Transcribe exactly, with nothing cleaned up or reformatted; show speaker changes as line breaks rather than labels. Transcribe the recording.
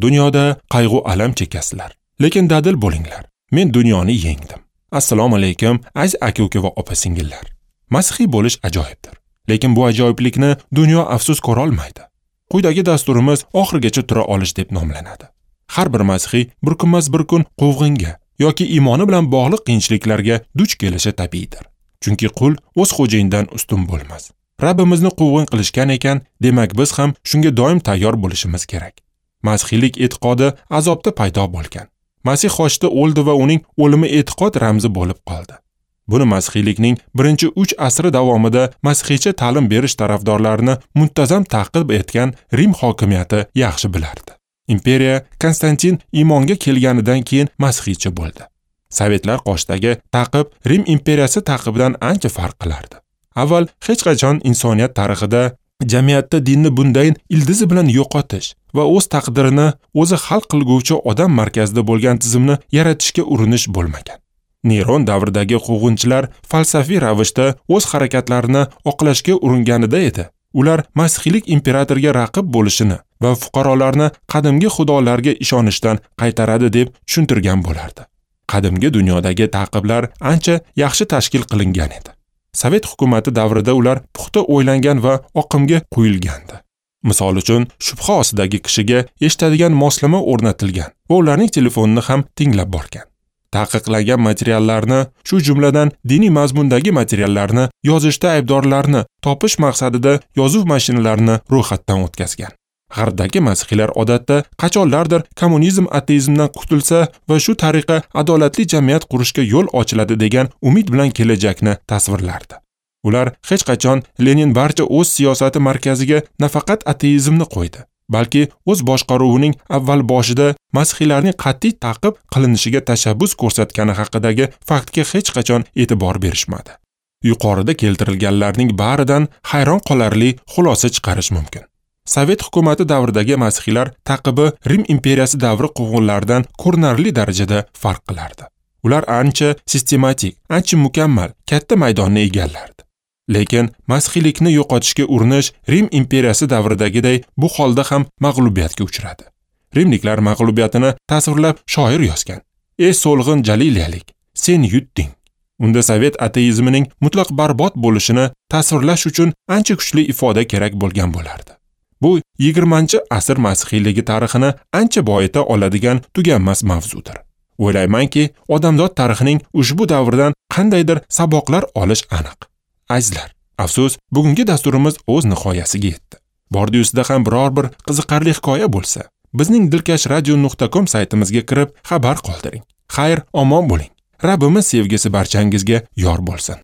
Dunyoda qayg'u alam chekasizlar, lekin dadil bo'linglar. Men dunyoni yengdim. Assalomu alaykum, aziz aka-uka va opa-singillar. Masihiy bo'lish ajoyibdir. Lekin bu ajoyiblikni dunyo afsus ko'ra olmaydi. Quyidagi dasturimiz oxirigacha tura olish deb nomlanadi. Har bir masihiy bir kunmas bir kun quvg'inga yoki iymoni bilan bog'liq qiyinchiliklarga duch kelishi tabiiydir. Chunki qul o'z xo'jayinidan ustun bo'lmas. Rabbimizni quvg'in qilishgan ekan, demak biz ham shunga doim tayyor bo'lishimiz kerak. Masihiylik e'tiqodi azobda paydo bo'lgan. Masih xochda o'ldi va uning o'limi e'tiqod ramzi bo'lib qoldi. Buni masihiylikning birinchi uch asri davomida masihiycha ta'lim berish tarafdorlarini muntazam ta'qib etgan Rim hokimiyati yaxshi bilardi. Imperiya Konstantin iymonga kelganidan keyin masihiycha bo'ldi. Sovetlar qoshidagi ta'qib Rim imperiyasi ta'qibidan ancha farq qilardi. Avval hech qachon insoniyat tarixida jamiyatda dinni bunday ildizi bilan yo'qotish va o'z taqdirini o'zi hal qilguvchi odam markazida bo'lgan tizimni yaratishga urinish bo'lmagan. Neron davridagi quvg'inchilar falsafiy ravishda o'z harakatlarini oqlashga uringanida edi. Ular masihiylik imperatorga raqib bo'lishini va fuqarolarni qadimgi xudolarga ishonishdan qaytaradi deb tushuntirgan bo'lardi. Qadimgi dunyodagi ta'qiblar ancha yaxshi tashkil qilingan edi. Sovet hukumati davrida ular puxta o'ylangan va oqimga quyilgandi. Misol uchun, shubha ostidagi kishiga eshitadigan moslama o'rnatilgan va ularning telefonini ham tinglab borgan. Taqiqlangan materiallarni, shu jumladan diniy mazmundagi materiallarni yozishda aybdorlarni topish maqsadida yozuv mashinalarini ro'yxatdan o'tkazgan. G'arbdagi masihiylar odatda qachonlardir kommunizm ateizmdan qutulsa va shu tariqa adolatli jamiyat qurishga yo'l ochiladi degan umid bilan kelajakni tasvirlardi. Ular hech qachon Lenin barcha o'z siyosati markaziga nafaqat ateizmni qo'ydi, balki o'z boshqaruvining avval boshida masihiylarning qat'iy ta'qib qilinishiga tashabbus ko'rsatgani haqidagi faktga hech qachon e'tibor berishmadi. Yuqorida keltirilganlarning baridan hayron qolarli xulosa chiqarish mumkin. Sovet hukumati davridagi masihiylar ta'qibi Rim imperiyasi davri quvg'inlaridan ko'rinarli darajada farq qilardi. Ular ancha sistematik, ancha mukammal, katta maydonni egallardi. Lekin masihiylikni yo'qotishga urinish Rim imperiyasi davridagiday bu holda ham mag'lubiyatga uchradi. Rimliklar mag'lubiyatini tasvirlab shoir yozgan: "Ey so'lg'in Jaliliyalik, sen yutding." Unda sovet ateizmining mutlaq barbod bo'lishini tasvirlash uchun ancha kuchli ifoda kerak bo'lgan bo'lardi. Bu yigirmanchi asr masihiyligi tarixini ancha boyita oladigan tuganmas mavzudir. O'ylaymanki, odamzod tarixining ushbu davridan qandaydir saboqlar olish aniq. Azizlar, afsus, bugungi dasturimiz o'z nihoyasiga yetdi. Bordi-yusida ham biror bir qiziqarli hikoya bo'lsa, bizning dilkash radio nuqta com saytimizga kirib xabar qoldiring. Xayr, omon bo'ling. Rabbimiz sevgisi barchangizga yor bo'lsin.